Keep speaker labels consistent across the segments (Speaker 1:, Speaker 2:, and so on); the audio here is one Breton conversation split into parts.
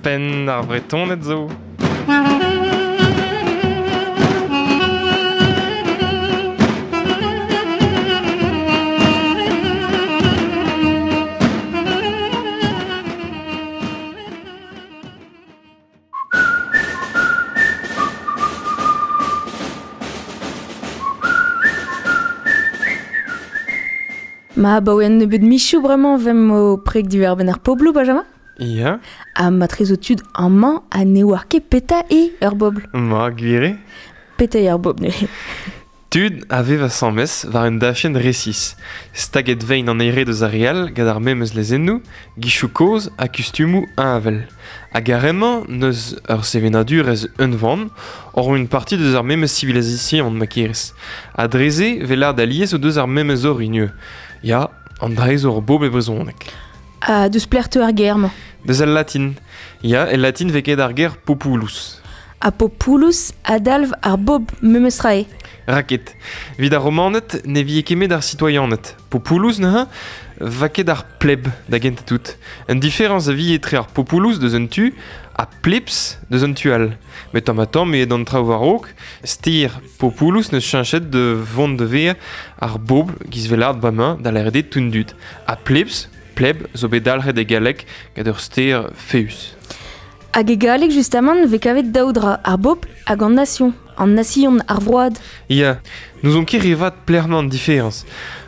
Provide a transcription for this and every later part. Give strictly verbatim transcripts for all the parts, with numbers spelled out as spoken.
Speaker 1: Penn ar Vretoned zo.
Speaker 2: Ma baoe un nebeud michou bremañ vem o preg diwar-benn ar pobloù, Benjamin?
Speaker 1: Ya.
Speaker 2: Ha ma tre zo tud amañ ha ne oar ket peta e ur bobl.
Speaker 1: Ma, gwir eo.
Speaker 2: Peta eo ar bobl neuze.
Speaker 1: Tud a vev asambles war un dachenn resis. Staget vein an ere deus ar re all gant ar memes lezennoù, gichoù kozh ha kustumoù heñvel. Hag ar re-mañ n'eus ur sevenadurezh unvan, oc'h un parti deus ar memes sivilization ma kerez. Ha dre-se 'vez lâret alies o deus ar memes orin ivez. Ya, an dra zo ur bobl e brezhoneg.
Speaker 2: Ha deus pelec'h teu ar ger-mañ?
Speaker 1: Deus al latin. Ya, e latin 'vez ket ar ger populus.
Speaker 2: Ha populus a dalv ar bobl memes tra eo.
Speaker 1: Raket. Evit ar Romaned ne vie ket met ar sitoyaned. Populus neuze va ket ar pleb da gentañ tout. Un différence a vie etre ar populus deus un tu ha plebs deus un tu all. Met tamm ha tamm eo d'an traoù war-raok, ster populus neus cheñchet de vont de ver ar bobl giz velard bremañ da lâret eo tout dud. Ha plebs, pleb, zo bet dalc'het e galleg gant ur ster faeüs.
Speaker 2: Hag e galleg justamant 'vez kavet daou dra, ar bobl hag an nation. An nation ar vroad.
Speaker 1: Ya, n'ouzon ket re vat pelec'h an différence.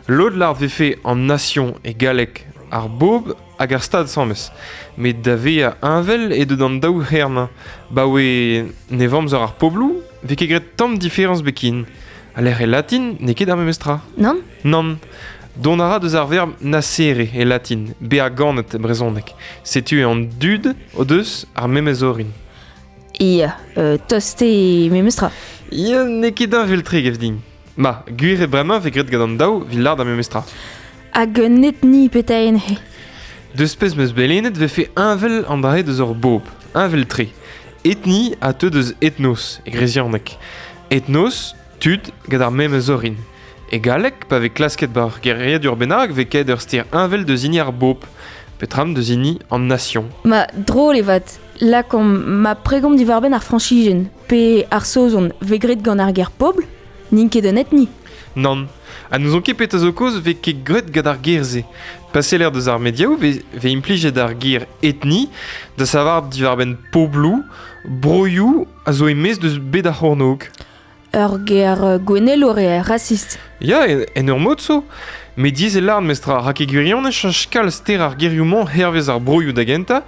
Speaker 1: Lod lâr 'vefe an nation e galleg ar bobl hag ar stad asambles. Met da vezañ heñvel eo deut an daou c'her-mañ. Baoe nevamzer ar pobloù 'vez ket graet tamm différence bekin. A lec'h e latin n'eo ket ar memes tra.
Speaker 2: Nann?
Speaker 1: Nann. Dont a ra deus ar verb nascere e latin, bezañ ganet e brezhoneg. Setu an dud o deus ar memes orin.
Speaker 2: Ya, euh, tost eo memes tra.
Speaker 1: Ya, n'eo ket heñvel-tre gav din. Ma, gwir eo bremañ 'vez graet gant an daou 'vit lâret ar memes tra.
Speaker 2: Hag un etni petra eo neuze?
Speaker 1: Deus pezh 'm eus bet lennet 'vefe heñvel an dra deus ur bobl, heñvel-tre. Etni a teu deus ethnos e gresianeg. Ethnos, tud gant ar memes orin. E galleg, pa vez klasket bar geriadur bennak, 'vez ket ur ster heñvel deus hini ar bobl, petram deus hini an nation.
Speaker 2: Ma, drôle eo vat. Lakaomp ma pregomp diwar-benn ar Frañsizien, pe ar Saozon, 'vez graet gant ar ger pobl, n'int ket un etni.
Speaker 1: Nann. Ha n'ouzon ket petra zo kaoz 'vez ket graet gant ar ger-se. Pa seller deus ar mediaoù 'vez, 'vez implijet ar ger etni da savar diwar-benn pobloù, broioù a zo e-maez deus bed ar c'hornôg.
Speaker 2: Ur ger gouennelour eo, raciste.
Speaker 1: Ya, en, en ur mod zo. Met diaes eo lâret mestra, rak e gwirionez cheñch kalz ster ar gerioù-mañ hervez ar broioù da gentañ,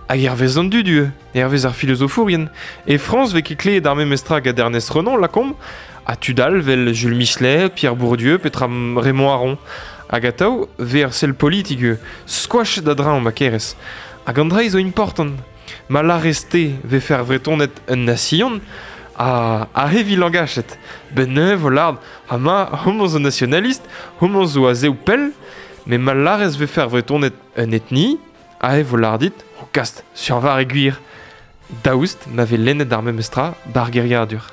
Speaker 1: hag hervez an dud ivez, hervez ar filozofourien. E Frañs 'vez ket klevet ar memes tra gant Ernest Renan, lakaomp, ha tud all 'vel Jules Michelet, Pierre Bourdieu, petra Raymond Aron. Hag atav 'vez ar sell politik ivez, skoachet a-dreñv ma kerez. Hag an dra zo important. Ma lârez-te 'vefe ar Vretoned un nation, ha a hevi langachet. Ben neuze vo lâret, ha ma, homañ zo nationaliste, homañ zo a-zehou pell, met ma lârez 'vefe ar Vretoned un etni, aze vo lâret dit, o kast, sur war e gwir. Daoust ma vez lennet ar memes tra bar geriadur.